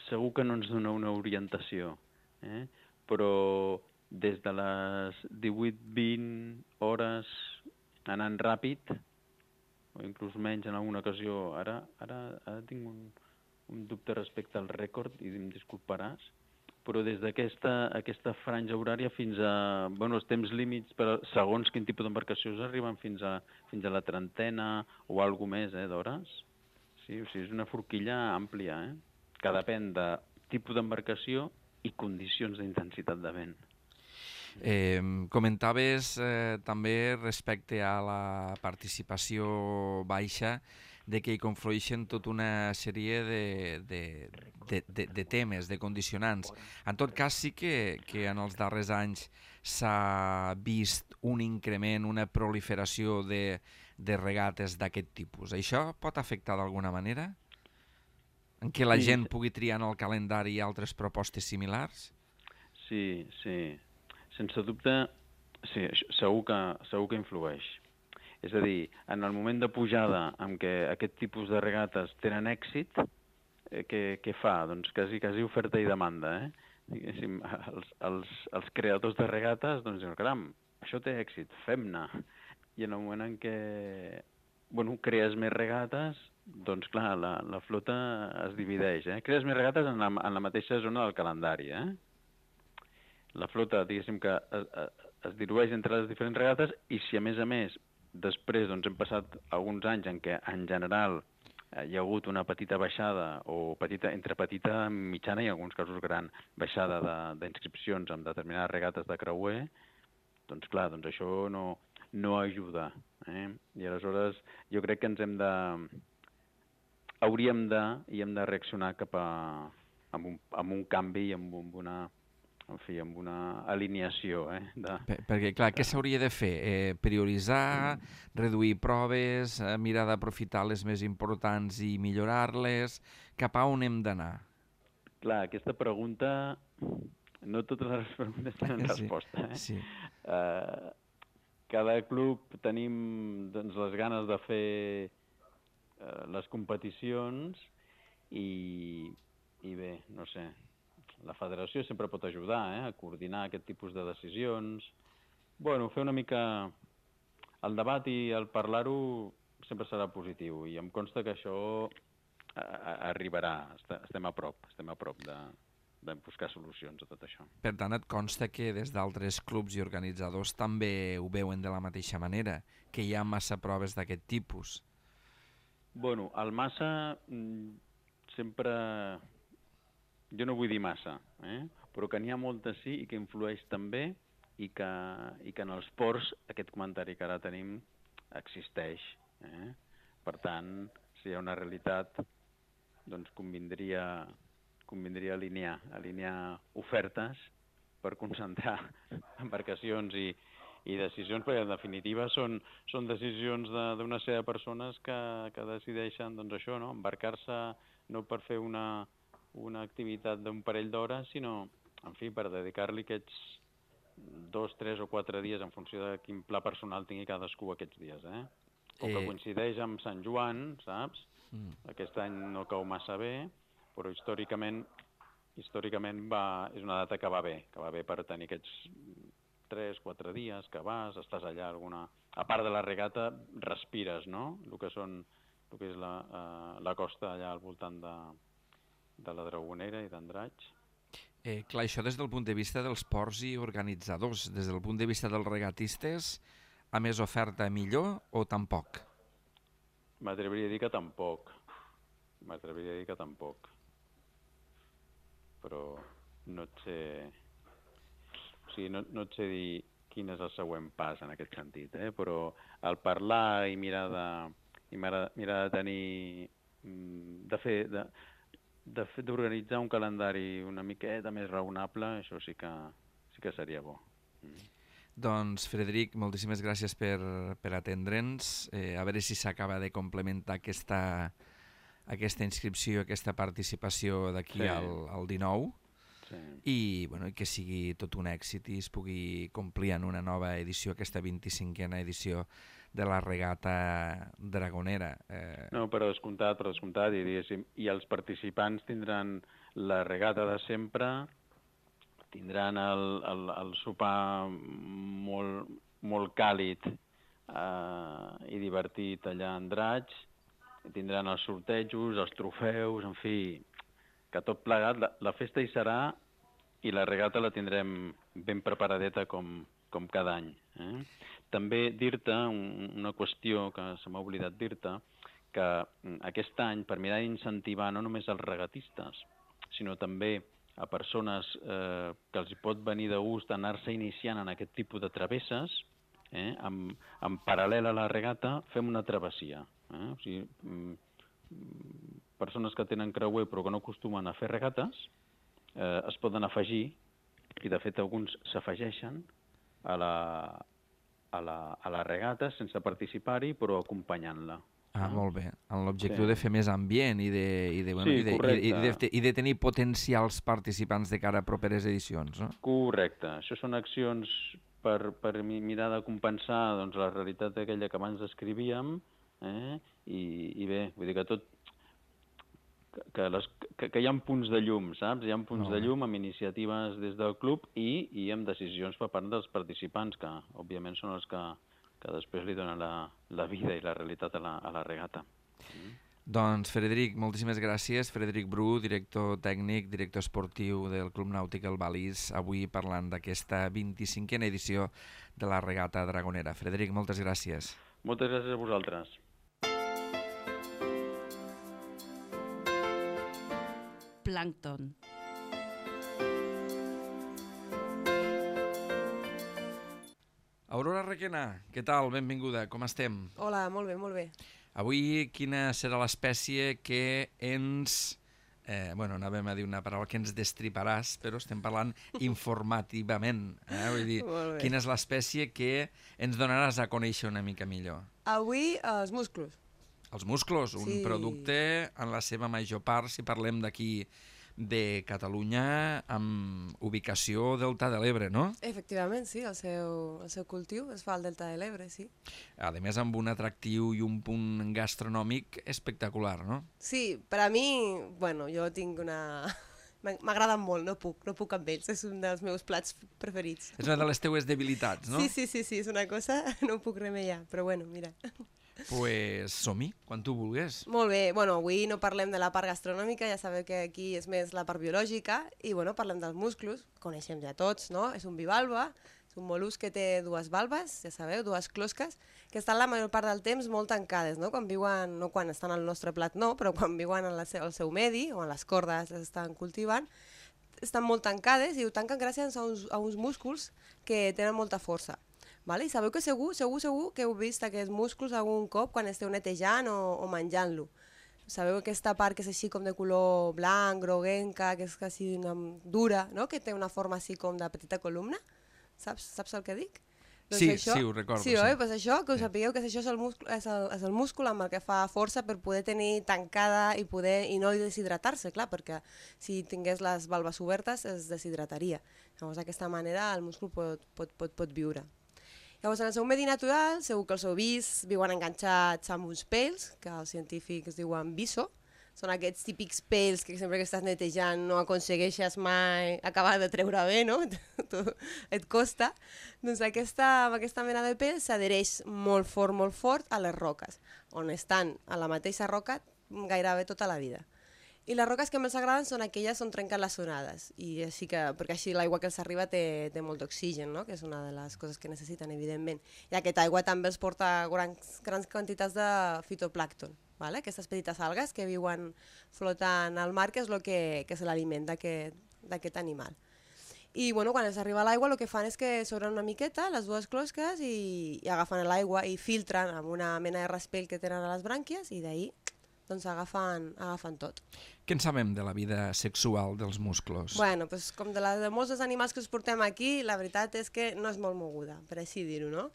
segur que no ens dona una orientació, eh? Però des de les divuit vint hores anant ràpid, o inclús menys en alguna ocasió. Ara, ara, ara tinc un, un dubte respecte al rècord, i em disculparàs, però des d'aquesta aquesta franja horària fins a... Bueno, els temps límits, per, segons quin tipus d'embarcacions, arriben fins a, fins a la trentena o alguna més eh, d'hores. Sí, o sigui, és una forquilla àmplia, eh? Que depèn de tipus d'embarcació i condicions d'intensitat de vent. Eh, comentaves eh, també respecte a la participació baixa de que hi conflueixen tota una sèrie de, de, de, de, de temes, de condicionants. En tot cas, sí que, que en els darrers anys s'ha vist un increment, una proliferació de, de regates d'aquest tipus. Això pot afectar d'alguna manera? En què la sí. gent pugui triar en el calendari altres propostes similars? Sí, sí. Sense dubte, sí, segur que, segur que influeix. És a dir, en el moment de pujada en què aquest tipus de regates tenen èxit, eh, què, què fa? Doncs quasi, quasi oferta i demanda, eh? Diguéssim, els, els, els creadors de regates doncs diuen, caram, això té èxit, fem-ne. I en el moment en què bueno, crees més regates, doncs clar, la, la flota es divideix, eh? Crees més regates en la, en la mateixa zona del calendari, eh? La flota, diguéssim, que es, es dilueix entre les diferents regates, i si a més a més després doncs, hem passat alguns anys en què en general hi ha hagut una petita baixada, o petita, entre petita, mitjana i en alguns casos gran, baixada d'inscripcions en determinades regates de creuer, doncs clar, doncs això no, no ajuda. Eh? I aleshores jo crec que ens hem de... hauríem de, i hem de reaccionar cap a... amb un, amb un canvi i amb, amb una... en fi, amb una alineació. Eh, de... Per, perquè, clar, què s'hauria de fer? Eh, prioritzar, reduir proves, eh, mirar d'aprofitar les més importants i millorar-les? Cap a on hem d'anar? Clar, aquesta pregunta... No totes les preguntes tenen sí, resposta. Eh? Sí. Uh, cada club tenim doncs, les ganes de fer uh, les competicions i, i bé, no sé... La federació sempre pot ajudar eh, a coordinar aquest tipus de decisions. Bueno, fer una mica... El debat i el parlar-ho sempre serà positiu, i em consta que això arribarà. Estem a prop, estem a prop de, de buscar solucions a tot això. Per tant, et consta que des d'altres clubs i organitzadors també ho veuen de la mateixa manera, que hi ha massa proves d'aquest tipus? Bueno, el massa sempre... Jo no vull dir massa, eh? Però que n'hi ha moltes sí, i que influeix també, i que, i que en els ports aquest comentari que ara tenim existeix. Eh? Per tant, si hi ha una realitat, doncs convindria, convindria alinear, alinear ofertes per concentrar embarcacions i, i decisions, perquè en definitiva són, són decisions d'una sèrie de persones que, que decideixen doncs això, no? Embarcar-se no per fer una... una activitat d'un parell d'hores, sinó, en fi, per dedicar-li aquests dos, tres o quatre dies en funció de quin pla personal tingui cadascú aquests dies, eh? Com que coincideix amb Sant Joan, saps? Mm. Aquest any no cau massa bé, però històricament històricament va, és una data que va bé, que va bé per tenir aquests tres, quatre dies que vas, estàs allà alguna... A part de la regata, respires, no? El que són, el que és la, uh, la costa allà al voltant de... de la Dragonera i d'Andratx. Eh, clar, això des del punt de vista dels ports i organitzadors. Des del punt de vista dels regatistes, a més oferta millor o tampoc? M'atreviria a dir que tampoc. M'atreviria a dir que tampoc. però no et sé... O sigui, no, no et sé dir quin és el següent pas en aquest sentit, eh? Però el parlar i mirar de, i mirar, mirar de tenir... de fer... De, de fer d'organitzar un calendari una miqueta més raonable, això sí que, sí que seria bo. Mm. Doncs, Frederic, moltíssimes gràcies per, per atendre'ns. Eh, a veure si s'acaba de complementar aquesta, aquesta inscripció, aquesta participació d'aquí Sí. al, al dinou. Sí. I, bueno, i que sigui tot un èxit i es pugui complir en una nova edició, aquesta vint-i-cinquena edició de la regata dragonera. Eh... No, per descomptat, per descomptat, i, diguéssim, i els participants tindran la regata de sempre, tindran el, el, el sopar molt, molt càlid eh, i divertit allà a Andratx, tindran els sortejos, els trofeus, en fi, que tot plegat, la, la festa hi serà i la regata la tindrem ben preparadeta com, com cada any. Eh? També dir-te un, una qüestió que se m'ha oblidat dir-te, que aquest any, per mirar d'incentivar no només els regatistes, sinó també a persones eh, que els hi pot venir de gust anar-se iniciant en aquest tipus de travesses, eh, en, en paral·lel a la regata, fem una travessia. Eh? O sigui, mm, persones que tenen creuer però que no acostumen a fer regates, eh, es poden afegir, i de fet alguns s'afegeixen a la, a, la, a la regata sense participar-hi però acompanyant-la. Ah, molt bé. Amb l'objectiu Sí. de fer més ambient i de, i de, bueno, Sí, i de, correcte. i, i, de, i de tenir potencials participants de cara a properes edicions, no? Correcte. Això són accions per, per mi- mirar de compensar doncs, la realitat aquella que abans descrivíem, eh? I, i bé, vull dir que tot... Que, que, les, que, que hi ha punts de llum, saps? Hi ha punts Molt de bé. llum amb iniciatives des del club i, i amb decisions per part dels participants, que òbviament són els que, que després li donen la, la vida i la realitat a la, a la regata. Doncs, Frederic, moltíssimes gràcies. Frederic Bru, director tècnic, director esportiu del Club Nàutic El Balís, avui parlant d'aquesta vint-i-cinquena edició de la regata dragonera. Frederic, moltes gràcies. Moltes gràcies a vosaltres. Plàncton. Aurora Requena, què tal? Benvinguda, com estem? Hola, molt bé, molt bé. Avui quina serà l'espècie que ens... Eh, bueno, anàvem a dir una paraula que ens destriparàs, però estem parlant informativament. Eh? Vull dir, Molt bé. quina és l'espècie que ens donaràs a conèixer una mica millor? Avui, els musclos. Els musclos, un Sí. producte en la seva major part, si parlem d'aquí de Catalunya, amb ubicació Delta de l'Ebre, no? Efectivament, sí, el seu, el seu cultiu es fa al Delta de l'Ebre, sí. A més, amb un atractiu i un punt gastronòmic espectacular, no? Sí, per a mi, bueno, jo tinc una... M'ag- M'agraden molt, no puc, no puc amb ells, és un dels meus plats preferits. És una de les teues debilitats, no? Sí, sí, sí, sí, és una cosa, no puc remeiar, però bueno, mira. Pues som-hi, quan tu vulguis. Molt bé, bueno, avui no parlem de la part gastronòmica, ja sabeu que aquí és més la part biològica, i bueno, parlem dels musclos, coneixem ja tots, no? És un bivalve, és un mol·lusc que té dues valves, ja sabeu, dues closques, que estan la major part del temps molt tancades, no? Quan viuen, no quan estan al nostre plat no, però quan viuen en la seu, al seu medi, o en les cordes les estan cultivant, estan molt tancades i ho tanquen gràcies a uns, a uns músculs que tenen molta força. Vale? I sabeu que segur, segur, segur que heu vist aquests músculs algun cop quan esteu netejant o, o menjant-lo. Sabeu aquesta part que és així com de color blanc, groguenca, que és quasi una, dura, no? Que té una forma així com de petita columna? Saps, saps el que dic? Sí, sí, ho recordo, Sí, sí. oi? Pues això, que us Sí. sapigueu que això és el, múscul, és, el, és el múscul amb el que fa força per poder tenir tancada i poder i no deshidratar-se, clar, perquè si tingués les valves obertes es deshidrataria. Llavors, d'aquesta manera el múscul pot, pot, pot, pot viure. Llavors, en el seu medi natural, segur que els heu vist, viuen enganxats amb uns pèls, que els científics diuen viso. Són aquests típics pèls que sempre que estàs netejant no aconsegueixes mai acabar de treure bé, no? Tu, et costa. Doncs aquesta, amb aquesta mena de pèls s'adhereix molt fort, molt fort a les roques, on estan a la mateixa roca gairebé tota la vida. I les roques que més agraden són aquelles on trenquen les onades, i així que, perquè així l'aigua que els arriba té, té molt d'oxigen, no? Que és una de les coses que necessiten, evidentment. I aquesta aigua també els porta grans, grans quantitats de fitoplàncton, vale? Aquestes petites algues que viuen flotant al mar, que és el que, que és l'aliment d'aquest animal. I bueno, quan els arriba a l'aigua el que fan és que s'obren una miqueta les dues closques i, i agafen l'aigua i filtren amb una mena de raspell que tenen a les brànquies i d'ahir doncs agafen, agafen tot. Què en sabem de la vida sexual dels musclos? Bueno, pues, com de, la, de molts dels animals que us portem aquí, la veritat és que no és molt moguda, per així dir-ho, no?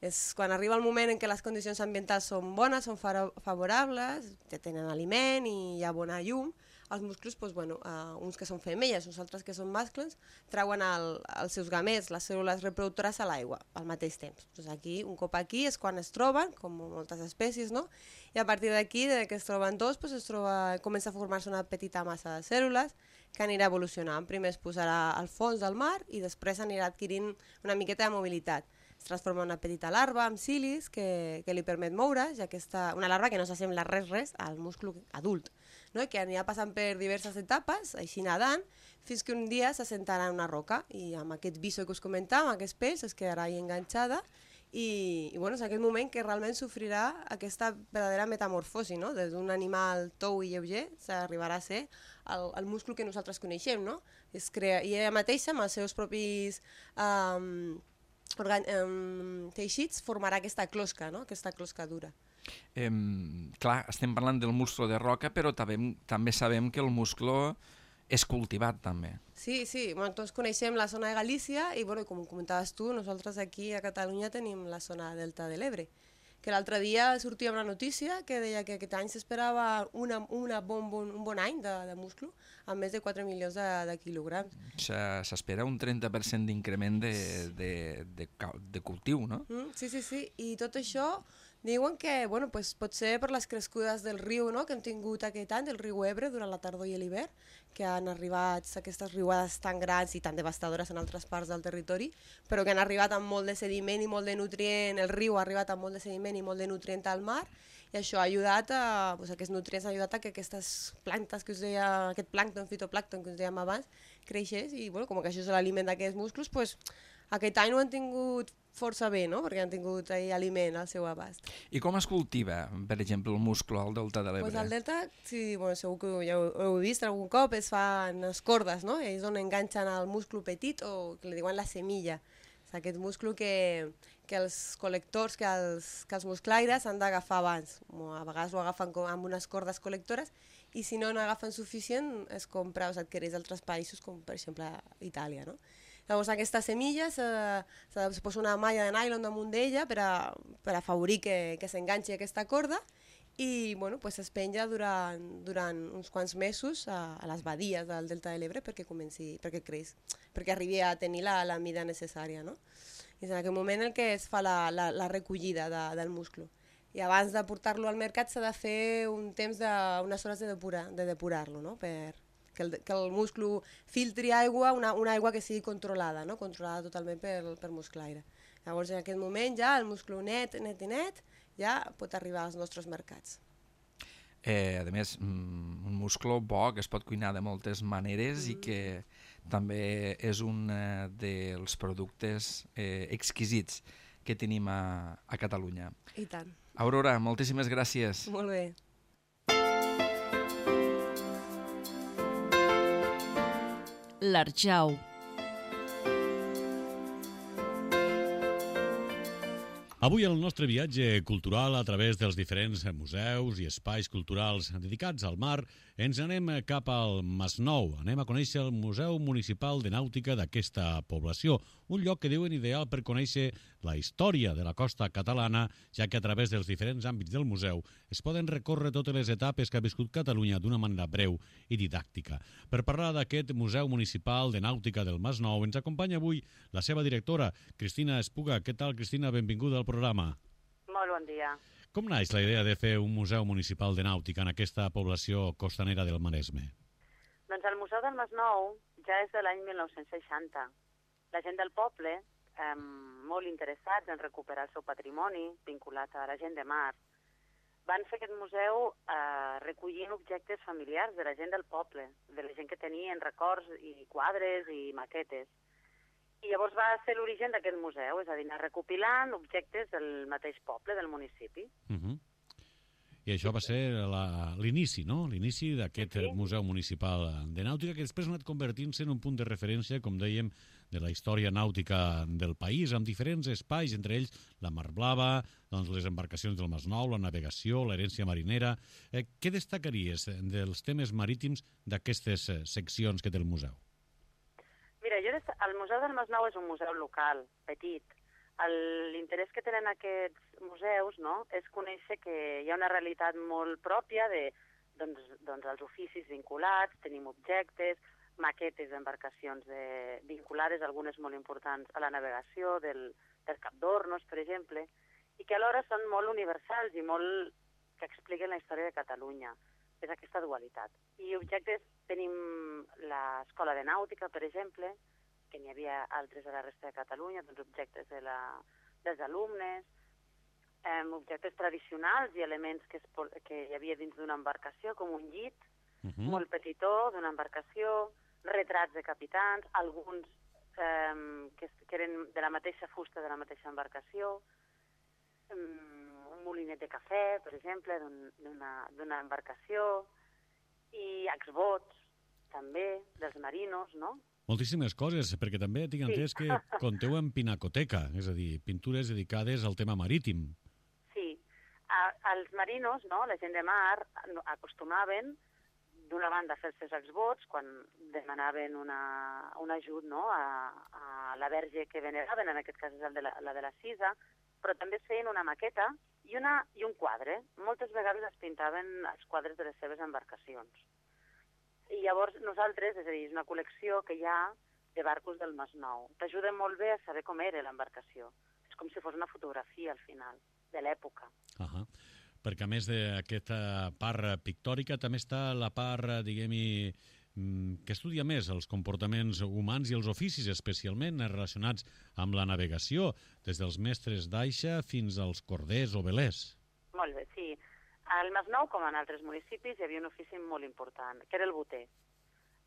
És quan arriba el moment en què les condicions ambientals són bones, són favorables, ja tenen aliment i hi ha bona llum, els musclos, doncs, bueno, uh, uns que són femelles, uns altres que són mascles, treuen el, els seus gamets, les cèl·lules reproductores a l'aigua al mateix temps. Doncs aquí, un cop aquí és quan es troben, com moltes espècies, no? I a partir d'aquí, de que es troben dos, doncs es troba, comença a formar-se una petita massa de cèl·lules que anirà evolucionant. Primer es posarà al fons del mar i després anirà adquirint una miqueta de mobilitat. Es transforma en una petita larva amb cilis que, que li permet moure's, ja que està, una larva que no s'assembla res res al musclo adult, no? Que anirà passant per diverses etapes, així nedant, fins que un dia s'assentarà en una roca i amb aquest viso que us comentàvem, aquest peix, es quedarà ahí enganxada i, i bueno, és aquest moment que realment sofrirà aquesta verdadera metamorfosi, no? Des d'un animal tou i lleuger s'arribarà a ser el, el musclo que nosaltres coneixem, no? Es crea, i ella mateixa, amb els seus propis um, organ, um, teixits, formarà aquesta closca, no? Aquesta closca dura. Eh, clar, estem parlant del musclo de roca, però també, també sabem que el musclo és cultivat, també. Sí, sí, bueno, tots coneixem la zona de Galícia i, bueno, com comentaves tu, nosaltres aquí a Catalunya tenim la zona delta de l'Ebre, que l'altre dia sortia una notícia que deia que aquest any s'esperava una, una bon, bon, un bon any de, de musclo amb més de quatre milions de, de quilograms. S'espera un trenta per cent d'increment de, de, de, de cultiu, no? Mm, sí, sí, sí, i tot això diuen que bueno, pues, pot ser per les crescudes del riu, no? Que hem tingut aquest any, del riu Ebre, durant la tardor i l'hivern, que han arribat aquestes riuades tan grans i tan devastadores en altres parts del territori, però que han arribat amb molt de sediment i molt de nutrient, el riu ha arribat amb molt de sediment i molt de nutrient al mar, i això ha ajudat a, pues, aquests nutrients han ajudat a que aquestes plantes que us deia, aquest plàncton, fitoplàncton que us dèiem abans, creixés, i bueno, com que això és l'aliment d'aquests musclos, pues, aquest any ho han tingut força bé, no? Perquè han tingut ahí aliment al seu abast. I com es cultiva, per exemple, el musclo al delta de l'Ebre? Pues al delta, sí, bueno, segur que ja ho heu vist algun cop, es fan les cordes, no? És on enganxen el musclo petit o que li diuen la semilla. És aquest musclo que, que els col·lectors, que els, que els musclaires han d'agafar abans. A vegades ho agafen amb unes cordes col·lectores i si no n'agafen suficient es compra o s'adquireix d'altres països com per exemple Itàlia, no? Llavors aquesta semilla se, se, se posa una malla de nylon damunt d'ella per, a, per afavorir que, que s'enganxi aquesta corda i bueno, pues es penja durant, durant uns quants mesos a, a les badies del delta de l'Ebre perquè comenci, perquè creix, perquè arribi a tenir la, la mida necessària, no? I és en aquest moment el que es fa la, la, la recollida de, del musclo. I abans de portar-lo al mercat s'ha de fer un temps de, unes hores de, depurar, de depurar-lo, no? Per, que el, que el musclo filtri aigua, una, una aigua que sigui controlada, no? Controlada totalment per, per musclaire. Llavors en aquest moment ja el musclo net, net i net, ja pot arribar als nostres mercats. Eh, a més, un musclo bo que es pot cuinar de moltes maneres mm. i que també és un eh, dels productes eh, exquisits que tenim a, a Catalunya. I tant. Aurora, moltíssimes gràcies. Molt bé. L'Arjau. Avui el nostre viatge cultural a través dels diferents museus i espais culturals dedicats al mar ens anem cap al Masnou. Anem a conèixer el Museu Municipal de Nàutica d'aquesta població, un lloc que diuen ideal per conèixer la història de la costa catalana, ja que a través dels diferents àmbits del museu es poden recórrer totes les etapes que ha viscut Catalunya d'una manera breu i didàctica. Per parlar d'aquest Museu Municipal de Nàutica del Masnou ens acompanya avui la seva directora, Cristina Espuga. Què tal, Cristina? Benvinguda al programa. Molt bon dia. Com naix la idea de fer un museu municipal de nàutica en aquesta població costanera del Maresme? Doncs el Museu del Masnou ja és de l'any mil nou-cents seixanta. La gent del poble, eh, molt interessats en recuperar el seu patrimoni vinculat a la gent de mar, van fer aquest museu eh, recollint objectes familiars de la gent del poble, de la gent que tenien records i quadres i maquetes. I llavors va ser l'origen d'aquest museu, és a dir, anar recopilant objectes del mateix poble, del municipi. Uh-huh. I això va ser l'inici, no? L'inici d'aquest sí. Museu Municipal de Nàutica, que després ha anat convertint-se en un punt de referència, com dèiem, de la història nàutica del país, amb diferents espais, entre ells la Mar Blava, doncs les embarcacions del Masnou, la navegació, l'herència marinera. Eh, què destacaries dels temes marítims d'aquestes seccions que té el museu? Mira, jo el Museu del Masnou és un museu local, petit. L'interès que tenen aquests museus, no?, és conèixer que hi ha una realitat molt pròpia de doncs, doncs, els oficis vinculats, tenim objectes, maquetes d'embarcacions de, vinculades, algunes molt importants a la navegació, del, del Cap d'Hornos, per exemple, i que alhora són molt universals i molt que expliquen la història de Catalunya. És aquesta dualitat. I objectes tenim l'Escola de Nàutica, per exemple, que n'hi havia altres a la resta de Catalunya, doncs objectes de la, dels alumnes, eh, objectes tradicionals i elements que, es, que hi havia dins d'una embarcació, com un llit, uh-huh. molt petitó, d'una embarcació, retrats de capitans, alguns eh, que, que eren de la mateixa fusta de la mateixa embarcació, um, un molinet de cafè, per exemple, d'una embarcació, i exbots, també, dels marinos, no? Moltíssimes coses, perquè també tinc entès sí. que compteu en pinacoteca, és a dir, pintures dedicades al tema marítim. Sí. A, els marinos, no?, la gent de mar, acostumaven d'una banda a fer els seus exvots quan demanaven una, un ajut, no?, a, a la verge que veneraven, en aquest cas és el de la, la de la Cisa, però també es feien una maqueta i, una, i un quadre. Moltes vegades es pintaven els quadres de les seves embarcacions. I llavors nosaltres, és a dir, és una col·lecció que hi ha de barcos del Masnou. T'ajuda molt bé a saber com era l'embarcació. És com si fos una fotografia, al final, de l'època. Uh-huh. Perquè a més d'aquesta part pictòrica també està la part, diguem-hi, que estudia més els comportaments humans i els oficis, especialment relacionats amb la navegació, des dels mestres d'aixa fins als corders o velers. Molt bé, sí. Al Masnou, com en altres municipis, hi havia un ofici molt important, que era el boter.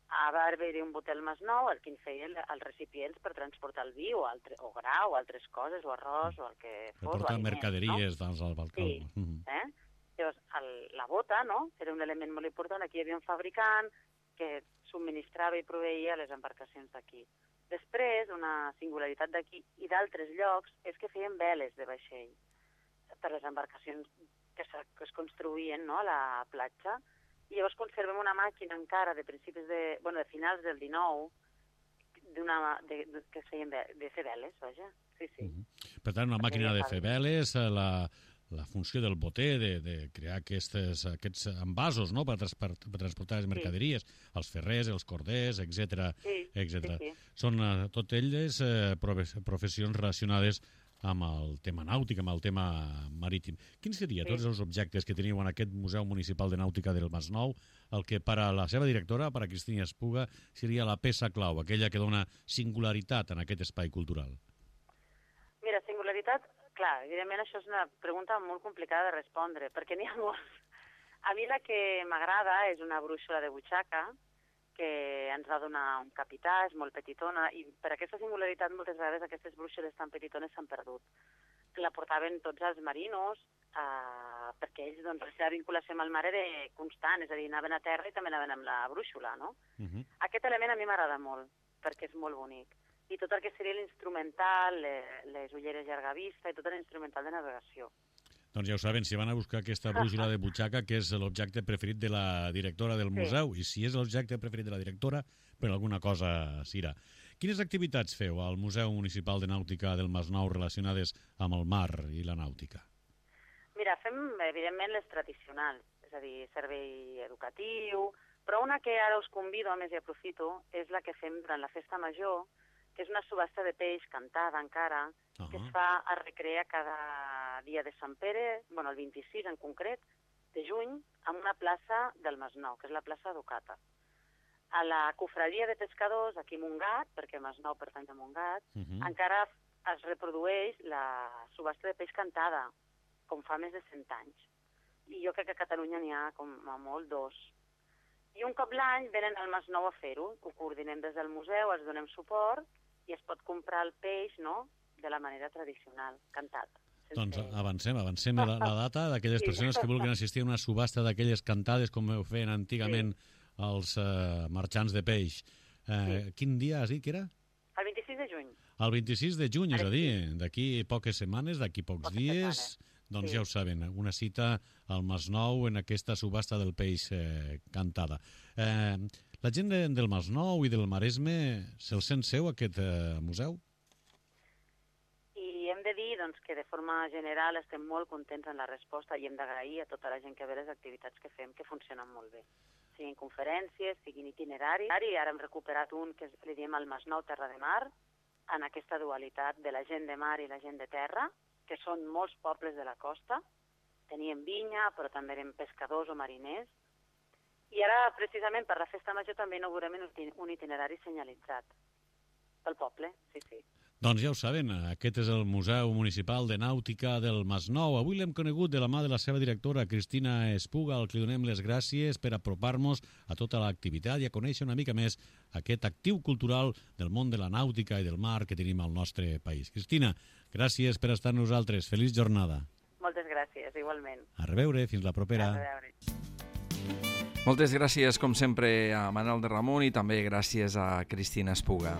Va haver-hi un boter al Masnou, el que feia els recipients per transportar el vi o, altre, o gra o altres coses, o arròs o el que fos. Per portar mercaderies, no? Doncs, al balcó. Sí. Mm-hmm. eh? Llavors, el, la bota, no?, era un element molt important. Aquí hi havia un fabricant que subministrava i proveïa les embarcacions d'aquí. Després, una singularitat d'aquí i d'altres llocs és que feien veles de vaixell per les embarcacions que, que es construïen, no?, a la platja. I llavors conservem una màquina encara de principis de, bueno, de finals del dinou, d'una, de, de, que es feien de, de fer veles, vaja. Sí, sí. Mm-hmm. Per tant, una màquina de fer veles, la, la funció del boter, de, de crear aquestes, aquests envasos, no?, per, transport, per transportar les mercaderies, sí. els ferrers, els corders, etcètera, sí, etcètera. Sí, sí. Són uh, tot elles uh, professions relacionades amb el tema nàutic, amb el tema marítim. Quins serien sí. tots els objectes que teniu en aquest Museu Municipal de Nàutica del Masnou, el que per a la seva directora, per a Cristina Espuga, seria la peça clau, aquella que dona singularitat en aquest espai cultural? Mira, singularitat, clar, evidentment això és una pregunta molt complicada de respondre, perquè n'hi ha molts. A mi la que m'agrada és una brúixola de butxaca, que ens va donar un capità, és molt petitona, i per aquesta singularitat moltes vegades aquestes brúixoles tan petitones s'han perdut. La portaven tots els marinos, eh, perquè ells, doncs, la seva vinculació amb el mar era constant, és a dir, anaven a terra i també anaven amb la brúixola, no? Uh-huh. Aquest element a mi m'agrada molt, perquè és molt bonic. I tot el que seria l'instrumental, les ulleres llarga vista i tot l'instrumental de navegació. Doncs ja ho saben, si van a buscar aquesta brúixola de butxaca, que és l'objecte preferit de la directora del museu, sí. i si és l'objecte preferit de la directora, per alguna cosa s'irà. Quines activitats feu al Museu Municipal de Nàutica del Masnou relacionades amb el mar i la nàutica? Mira, fem, evidentment, les tradicionals, és a dir, servei educatiu, però una que ara us convido, a més i aprofito, és la que fem durant la Festa Major, que és una subhasta de peix cantada encara, uh-huh. que es fa a recrear cada dia de Sant Pere, bueno, el vint-i-sis en concret, de juny, en una plaça del Masnou, que és la plaça Ducata. A la cofradia de pescadors, aquí a Montgat, perquè Masnou pertany a Montgat, uh-huh. encara es reprodueix la subhasta de peix cantada, com fa més de cent anys. I jo crec que a Catalunya n'hi ha com a molt dos. I un cop l'any venen al Masnou a fer-ho, ho coordinem des del museu, els donem suport, i es pot comprar el peix, no?, de la manera tradicional, cantat. Doncs avancem, avancem la, la data d'aquelles Sí. persones que vulguin assistir a una subhasta d'aquelles cantades com ho feien antigament els eh, marxants de peix. Eh, Quin dia has dit que era? El vint-i-sis de juny. El vint-i-sis de juny, és Ara a dir, d'aquí poques setmanes, d'aquí pocs Poques dies, setmanes, doncs sí. ja ho saben, una cita al Masnou en aquesta subhasta del peix eh, cantada. Eh, la gent de, del Masnou i del Maresme se'l sent seu, aquest eh, museu? I hem de dir doncs, que de forma general estem molt contents en la resposta i hem d'agrair a tota la gent que ve les activitats que fem, que funcionen molt bé. Siguin conferències, siguin itineraris. I ara hem recuperat un que li diem el Masnou Terra de Mar, en aquesta dualitat de la gent de mar i la gent de terra, que són molts pobles de la costa. Teníem vinya, però també eren pescadors o mariners. I ara, precisament, per la festa major també inaugurem un itinerari senyalitzat pel poble, sí, sí. Doncs ja ho saben, aquest és el Museu Municipal de Nàutica del Masnou. Avui l'hem conegut de la mà de la seva directora, Cristina Espuga, al que li donem les gràcies per apropar-nos a tota l'activitat i a conèixer una mica més aquest actiu cultural del món de la nàutica i del mar que tenim al nostre país. Cristina, gràcies per estar amb nosaltres. Feliç jornada. Moltes gràcies, igualment. A reveure, fins la propera. A reveure. Moltes gràcies, com sempre, a Manel de Ramon i també gràcies a Cristina Espuga.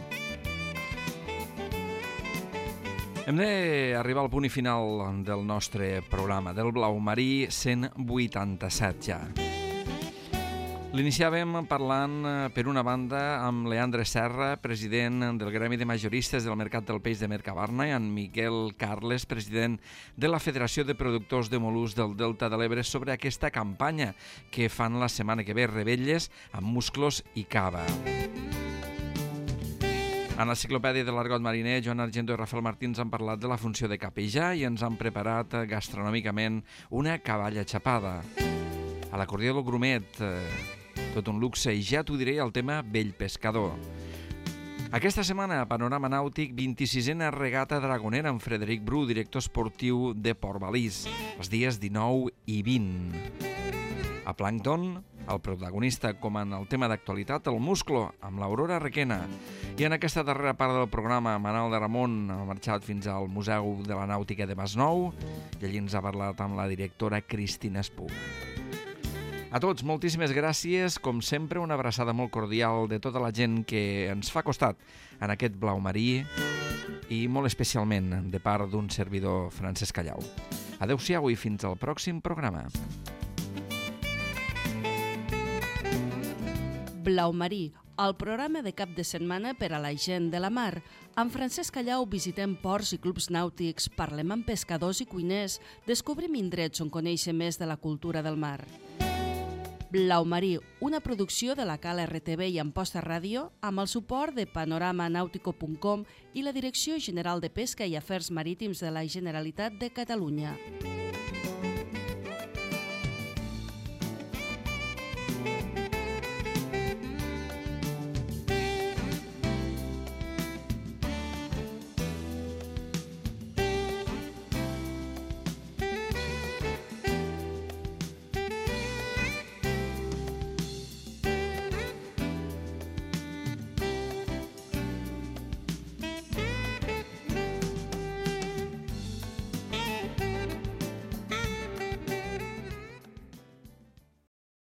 Hem d'arribar al punt i final del nostre programa, del Blau Marí cent vuitanta-set ja. L'iniciàvem parlant, per una banda, amb Leandre Serra, president del Gremi de Majoristes del Mercat del Peix de Mercabarna, i en Miquel Carles, president de la Federació de Productors de Mol·luscs del Delta de l'Ebre, sobre aquesta campanya que fan la setmana que ve, Revetlles amb musclos i cava. En l'enciclopèdia de l'Argot Mariner, Joan Argento i Rafael Martins han parlat de la funció de capellà i ens han preparat gastronòmicament una cavalla xapada. A l'acordió del Grumet, tot un luxe, i ja t'ho diré, el tema Vell Pescador. Aquesta setmana, a Panorama Nàutic, vint-i-sisena regata dragonera amb Frederic Bru, director esportiu de Port Balís, els dies dinou i vint. A Plàncton, el protagonista, com en el tema d'actualitat, el musclo, amb l'Aurora Requena. I en aquesta darrera part del programa, Manel de Ramon ha marxat fins al Museu de la Nàutica de Masnou i allí ens ha parlat amb la directora Cristina Espuga. A tots, moltíssimes gràcies. Com sempre, una abraçada molt cordial de tota la gent que ens fa costat en aquest Blau Marí i molt especialment de part d'un servidor, Francesc Callau. Adéu-siau i fins al pròxim programa. Blau Marí, el programa de cap de setmana per a la gent de la mar. Amb Francesc Callau visitem ports i clubs nàutics, parlem amb pescadors i cuiners, descobrim indrets on conèixer més de la cultura del mar. Blau Marí, una producció de la Cala R T V i Amposta Ràdio, amb el suport de panorama nàutico punt com i la Direcció General de Pesca i Afers Marítims de la Generalitat de Catalunya.